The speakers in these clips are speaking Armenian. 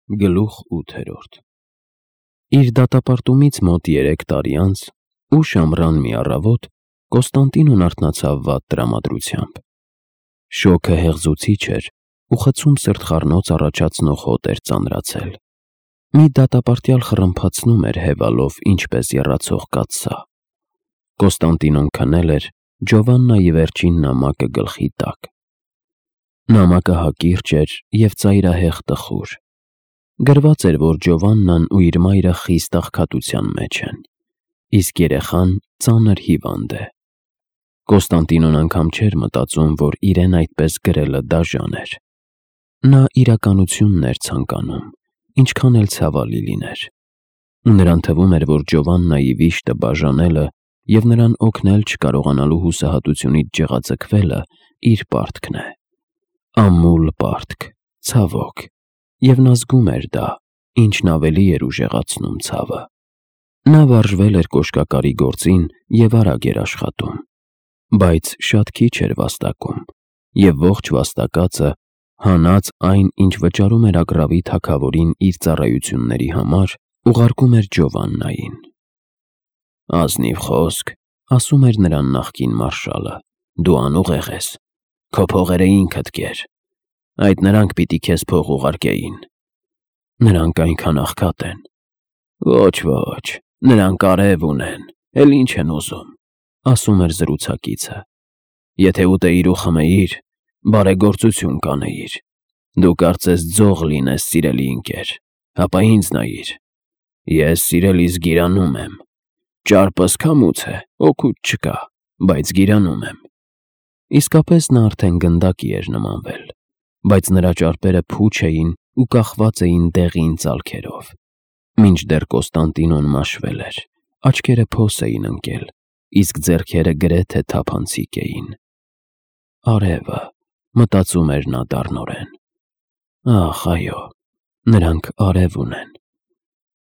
Գլուխ 8 Իր դատապարտումից մոտ 3 տարի անց, ուշ ամռան մի առավոտ, Կոստանդինոն արթնացավ վատ տրամադրությամբ։ Շոգը հեղձուցիչ էր ու խցում սրտխառնոց առաջացնող հոտ էր ծանրացել։ Մի դատապարտյալ խռմփացնում էր հևալով ինչպես եռացող կաթսա։ Կոստանդինոն քնել էր Ջովաննայի վերջին նամակը գլխի տակ։ Նամակը հակիրճ էր և ծայրահեղ տխուր։ Գրված էր, որ Ջովաննան ու իր մայրը խիստ աղքատության մեջ են, իսկ երեխան ծանր հիվանդ է։ Կոստանդինոն անգամ չէր մտածում, որ իրեն այդպես գրելը դաժան էր։ Նա իրականությունն էր ցանկանում, ինչքան էլ ցավալի լիներ։ Ու նրան թվում էր, որ Ջովաննայի վիշտը բաժանելը և նրան օգնել չկարողանալու հուսահատությունից ջղաձգվելը իր պարտքն է։ Ամուլ պարտք, ցավոք, և նա զգում էր դա, ինչն ավելի էր ուժեղացնում ցավը։ Նա վարժվել էր կոշկակարի գործին և արագ էր աշխատում, բայց շատ քիչ էր վաստակում, և ողջ վաստակածը հանած այն, ինչ վճարում էր Ագռավի թագավորին իր ծառայությունների համար, ուղարկում էր Ջովաննային։ «Ազնիվ խոսք», ասում էր նրան նախկին մարշալը, «դու անուղեղ ես, քո փողերը ինքդ կեր, այդ նրանք պիտի քեզ փող ուղարկեին»։ «Նրանք այնքան աղքատ են»։ «Ոչ, նրանք արև ունեն, էլ ինչ են ուզում», ասում էր զրուցակիցը։ «Եթե ուտեիր ու խմեիր, բարեգործություն կանեիր։ Դու կարծես ձող լինես, սիրելի ընկեր, հապա ինձ նայիր։ Ես սիրելիս գիրանում եմ։ Ճարպս քամուց է, օգուտ չկա, բայց գիրանում եմ»։ Իսկապես նա արդեն գնդակի էր նմանվել, բայց նրա ճարպերը փուչ էին ու կախված էին դեղին ծալքերով։ Մինչդեռ Կոստանդինոն մաշվել էր, աչքերը փոս էին ընկել, իսկ ձեռքերը գրեթե թափանցիկ էին։ «Արևը», մտածում էր նա դառնորեն։ «Ախ, այո, նրանք արև ունեն։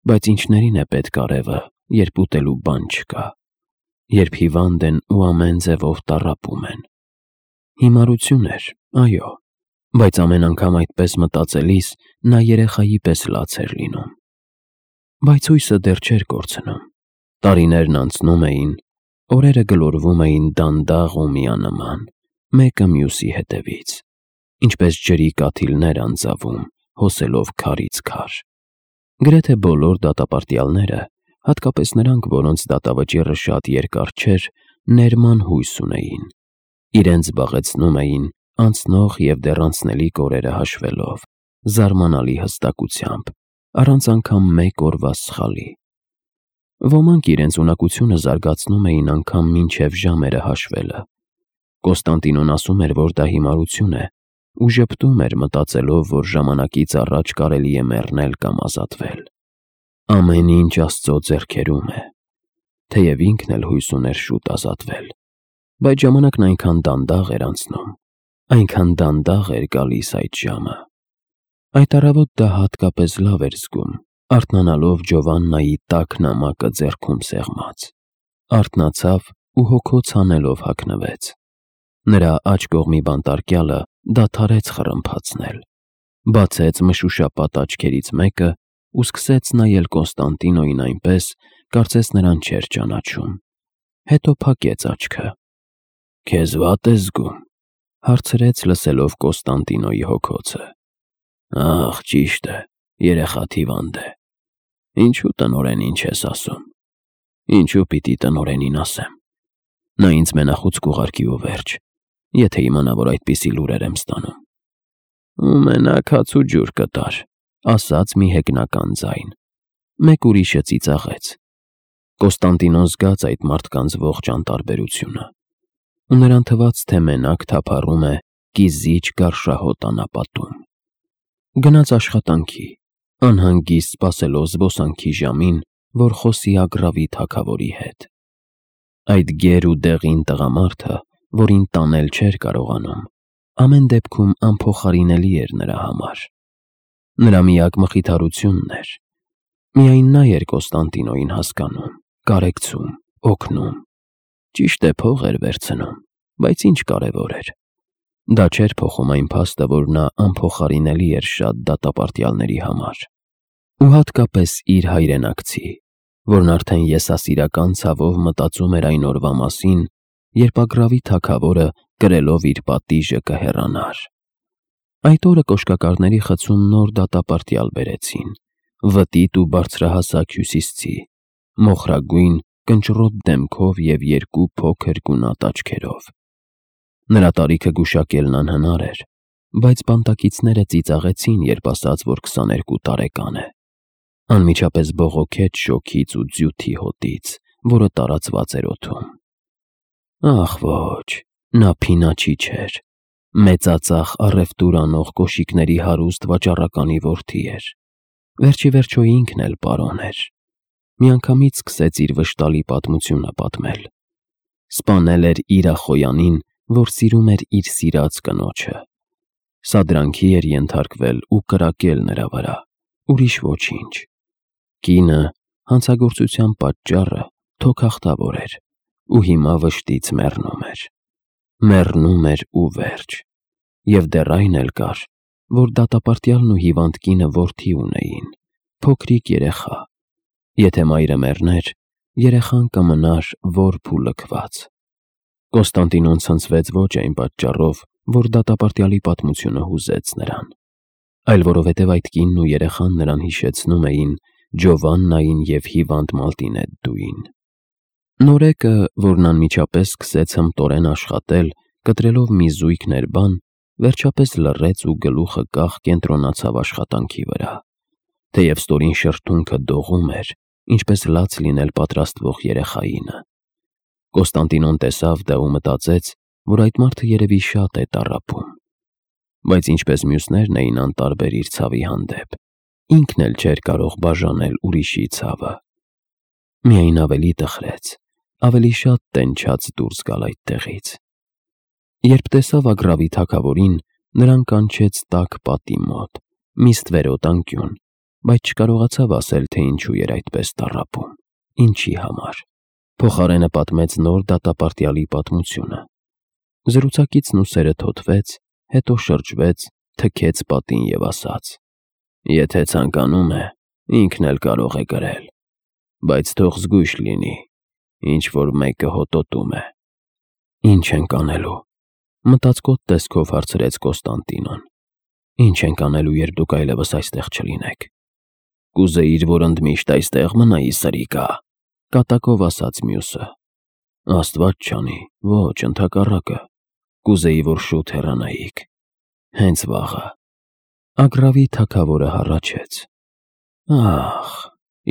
Բայց ինչներին է պետք արևը, երբ ուտելու բան չկա, երբ հիվանդ են ու ամեն ձևով տառապում են»։ Հիմարություն էր, այո, բայց ամեն անգամ այդպես մտածելիս նա երեխայի պես լաց էր լինում։ Բայց հույսը դեռ չէր կորցնում։ Տարիներն անցնում էին, օրերը գլորվում էին դանդաղ ու միանման, մեկը մյուսի հետևից, ինչպես ջրի կաթիլներ անձավում, հոսելով քարից քար։ Գրեթե բոլոր դատապարտյալները, հատկապես նրանք, որոնց դատավճիռը շատ երկար չէր, ներման հույս ունեին։ Իրենց զբաղեցնում էին անցնող և դեռ անցնելիք օրերը հաշվելով, զարմանալի հստակությամբ, առանց անգամ մեկ օրվա սխալի։ Ոմանք իրենց ունակությունը զարգացնում էին անգամ մինչև ժամերը հաշվելը։ Կոստանդինոն ասում էր, որ դա հիմարություն է, ու ժպտում էր մտածելով, որ ժամանակից առաջ կարելի է մեռնել կամ ազատվել։ Ամեն ինչ Աստծո ձեռքերում է, թեև ինքն էլ հույս ուներ շուտ ազատվել, բայց ժամանակն այնքան դանդաղ էր անցնում, այնքան դանդաղ էր գալիս այդ ժամը։ Այդ առավոտ դա հատկապես լավ էր զգում, արթնանալով Ջովաննայի տաք նամակը ձեռքում սեղմած։ Արթնացավ ու հոգոց հանելով հագնվեց։ Նրա աջ կողմի բանտարկյալը դադարեց խռմփացնել, բացեց մշուշապատ աչքերից մեկը ու սկսեց նայել Կոստանդինոյին այնպես, կարծես նրան չէր ճանաչում։ Հետո փակեց աչքը։ «Քեզ վատ ես զգում», հարցրեց, լսելով Կոստանդինոյի հոգոցը։ «Ախ, ճիշտ է, երեխադ հիվանդ է։ Ինչու տնօրենին չես ասում»։ «Ինչու պիտի տնօրենին ասեմ։ Նա ինձ մենախույց կուղարկի ու վերջ, եթե իմանա, որ այդպիսի լուրեր եմ ստանում»։ «Ու մենակ հաց ու ջուր կտար», ասաց մի հեգնական ձայն։ Մեկ ուրիշը ծիծաղեց։ Կոստանդինոն զգաց այդ մարդկանց ողջ անտարբերությունը, ու նրան թվաց, թե մենակ թափառում է կիզիչ գարշահոտ անապատում։ Գնաց աշխատանքի, անհանգիստ սպասելով զբոսանքի ժամին, որ խոսի Ագռավի թագավորի հետ։ Այդ գեր ու դեղին տղամարդը, որին տանել չէր կարողանում, ամեն դեպքում անփոխարինելի էր նրա համար։ Նրա միակ մխիթարությունն էր։ Միայն նա էր Կոստանդինոյին հասկանում, Դա չէր փոխում այն փաստը, որ նա անփոխարինելի էր շատ դատապարտյալների համար, ու հատկապես իր հայրենակցի, որն արդեն եսասիրական ցավով մտածում էր այն օրվա մասին, երբ Ագրավի թագավորը կրելով իր պատիժը կհեռանար։ Այդ օրը կոշկակարների խցում նոր դատապարտյալ բերեցին, վտիտ ու բարձրահասակ հյուսիսցի, մոխրագույն, կնճռոտ դեմքով և երկու փոքր գունատ աչքերով։ Նրա տարիքը գուշակելն անհնար էր, բայց բանտակիցները ծիծաղեցին, երբ ասաց, որ 22 տարեկան է։ Անմիջապես բողոքեց շոգից ու ձյութի հոտից, որը տարածված էր օդում։ Ախ ոչ, նա փինաչի չէր, մեծածախ առևտուր անող կոշիկների հարուստ վաճառականի որդի էր։ Վերջիվերջո ինքն էլ պարոն էր։ Միանգամից սկսեց իր վշտալի պատմությունը պատմել։ Սպանել էր իր ախոյանին, որ սիրում էր իր սիրած կնոջը։ Սադրանքի էր ենթարկվել ու կրակել նրա վրա, ուրիշ ոչինչ։ Կինը հանցագործության պատճառը թոքախտավոր էր ու հիմա վշտից մեռնում էր ու վերջ։ Եվ դեռ այն էլ կար, որ դատապարտյալն ու հիվանդ կինը որդի ունեին, փոքրիկ երեխա։ Եթե մայրը մեռներ, երեխան կմնար որբ ու լքված։ Կոստանդինոն ցնցվեց ոչ այն պատճառով, որ դատապարտյալի պատմությունը հուզեց նրան, այլ որովհետև այդ կինն ու երեխան նրան հիշեցնում էին Ջովաննային և հիվանդ Մալտինեդդուին։ Նորեկը, որն անմիջապես սկսեց հմտորեն աշխատել, կտրելով մի զույգ ներբան, վերջապես լռեց ու գլուխը կախ կենտրոնացավ աշխատանքի վրա, թեև ստորին շրթունքը դողում էր, ինչպես լաց լինել պատրաստվող երեխայինը։ Կոստանդինոն տեսավ դա ու մտածեց, որ այդ մարդը երևի շատ է տառապում, բայց ինչպես մյուսներն էին անտարբեր իր ցավի հանդեպ, ինքն էլ չէր կարող բաժանել ուրիշի ցավը։ Միայն ավելի տխրեց, ավելի շատ տենչաց դուրս գալ այդտեղից։ Երբ տեսավ Ագրավի թագավորին, նրան կանչեց տաք պատի մոտ, մի ստվերոտ անկյուն, բայց չկարողացավ ասել, թե ինչու էր այդպես տառապում, ինչի համար։ Փոխարենը պատմեց նոր դատապարտյալի պատմությունը։ Զրուցակիցն ուսերը թոթվեց, հետո շրջվեց, թքեց պատին և ասաց. «Եթե ցանկանում է, ինքն էլ կարող է գրել, բայց թող զգույշ լինի, ինչ-որ մեկը հոտոտում է»։ «Ինչ ենք անելու», մտածկոտ տեսքով հարցրեց Կոստանդինոն։ «Ինչ ենք անելու, երբ դուք այլևս այստեղ չլինեք»։ «Կուզեիր, որ ընդմիշտ այստեղ մնայի, սրիկա», կատակով ասաց մյուսը։ «Աստված չանի, ոչ, ընդհակառակը, կուզեի, որ շուտ հեռանայիք, հենց վաղը»։ Ագրավի թագավորը հառաչեց։ Ախ,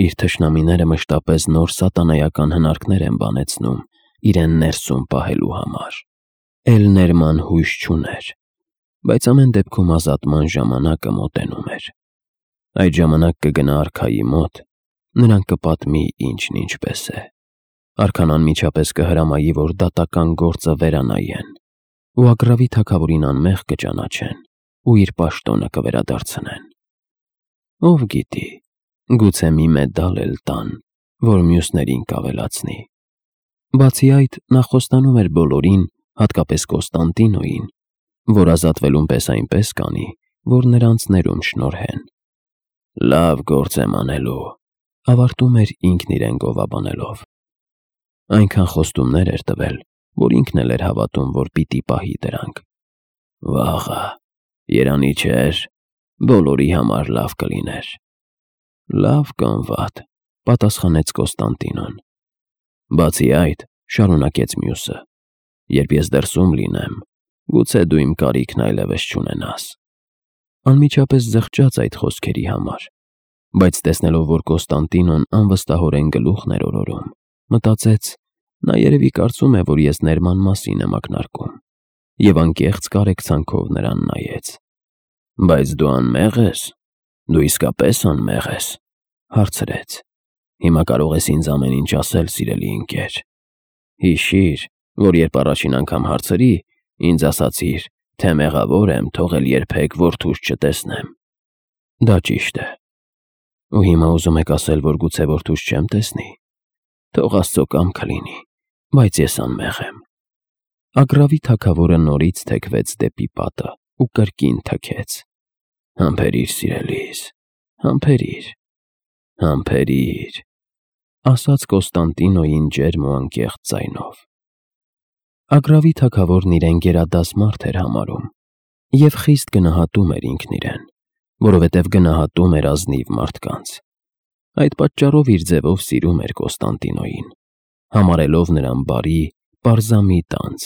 իր թշնամիները մշտապես նոր սատանայական հնարքներ են բանեցնում իրեն ներսում պահելու համար։ Էլ ներման հույս չուներ, բայց ամեն դեպքում ազատման ժամանակը մոտենում էր։ Այդ ժամանակ կգնա արքայի մոտ, նրան կպատմի ինչն ինչպես է։ Արքան անմիջապես կհրամայի, որ դատական գործը վերանայեն, ու Ագրավի թագավորին անմեղ կճանաչեն ու իր պաշտոնը կվերադարձնեն։ Ով գիտի, գուցե մի մեդալ էլ տան, որ մյուսներին կավելացնի։ Բացի այդ, նա խոստանում էր բոլորին, հատկապես Կոստանդինոյին, որ ազատվելուն պես այնպես կանի, որ նրանց ներում շնորհեն։ «Լավ գործ եմ անելու», ավարտում էր ինքն իրեն գովաբանելով։ Այնքան խոստումներ էր տվել, որ ինքն էլ էր հավատում, որ պիտի պահի դրանք։ Վաղը, երանի չէր, բոլորի համար լավ կլիներ։ Լավ կամ վատ, պատասխանեց Կոստանդինոն։ Բացի այդ, շարունակեց մյուսը, երբ ես դրսում լինեմ, գուցե դու իմ կարիքն այլևս չունենաս։ Անմիջապես զղջաց այդ խոսքերի համար, բայց տեսնելով, որ Կոստանդինոն անվստահորեն գլուխն էր օրորում, մտածեց, նա երևի կարծում է, որ ես ներման մասին եմ ակնարկում, և անկեղծ կարեկցանքով նրան նայեց։ Բայց դու անմեղ ես, դու իսկապես անմեղ ես, հարցրեց։ Հիմա կարող ես ինձ ամեն ինչ ասել, սիրելի ընկեր։ Հիշիր, որ երբ առաջին անգամ հարցրի, ինձ ասացիր, թե մեղավոր եմ, թողել երբեք որդուս չտեսնեմ։ Դա ճիշտ է։ Ու հիմա ուզում եք ասել, որ գուցե որդուս չեմ տեսնի։ Թող Աստծո կամքը լինի, բայց ես անմեղ եմ։ Ագռավի թագավորը նորից թեքվեց դեպի պատը ու կրկին թքեց. «Համբերիր, սիրելիս, համբերիր, համբերիր», ասաց Կոստանդինոյին ջերմ ու անկեղծ ձայնով։ Ագռավի թագավորն իրեն գերադաս մարդ էր համարում և խիստ գնահատում էր ինքն իրեն, որովհետև գնահատում էր ազնիվ մարդկանց։ Այդ պատճառով իր ձևով սիրում էր Կոստանդինոյին, համարելով նրան բարի, պարզամիտ անձ,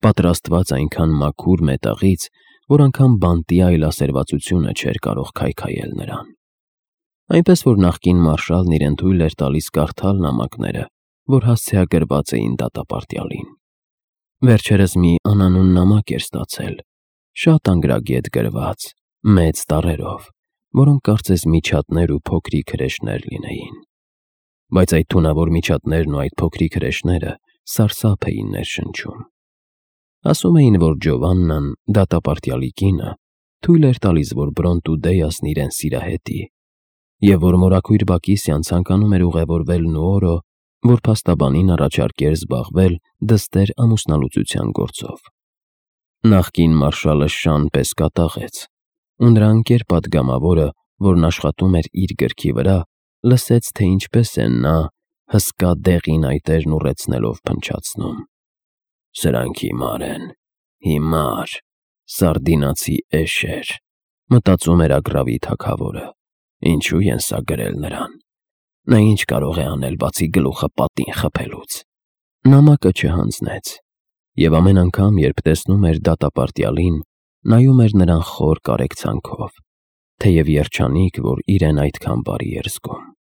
պատրաստված այնքան մաքուր մետաղից, որ անգամ բանտի այլասերվածությունը չէր կարող քայքայել նրան։ Այնպես որ նախկին մարշալն իրեն թույլ էր տալիս կարդալ նամակները, որ հասցեագրված էին դատապարտյալին։ Վերջերս մի անանուն նամակ էր ստացել, շատ անգրագետ գրված, մեծ տառերով, որոնք կարծես միջատներ ու փոքրիկ հրեշներ լինեին։ Բայց այդ թունավոր միջատներն ու այդ փոքրիկ հրեշները սարսափ էին ներշնչում։ Ասում էին, որ Ջովաննան, դատապարտյալի կինը, թույլ էր տալիս, որ Բրոնտուդեյասն իրեն սիրահետի, և որ մորաքույր Բակիսյան ցանկանում էր ուղևորվել Նուորո, որ փաստաբանին առաջարկեր զբաղվել դստեր ամուսնալուծության գործով։ Նախկին մարշալը շան պես կատաղեց, ու նրա ընկեր պատգամավորը, որն աշխատում էր իր գրքի վրա, լսեց, թե ինչպես է նա, հսկա դեղին այտերն ուռեցնելով փնչացնում. «Սրանք հիմար են, հիմար, սարդինացի էշեր», մտածում էր Ագռավի թագավորը։ Ինչու են սա գրել նրան։ Նա ինչ կարող է անել, բացի գլուխը պատին խփելուց։ Նամակը չհանձնեց, և ամեն անգամ, երբ տեսնում էր դատապարտյալին, նայում էր նրան խոր կարեկցանքով, թեև երջանիկ, որ իրեն այդքան բարի էր զգում։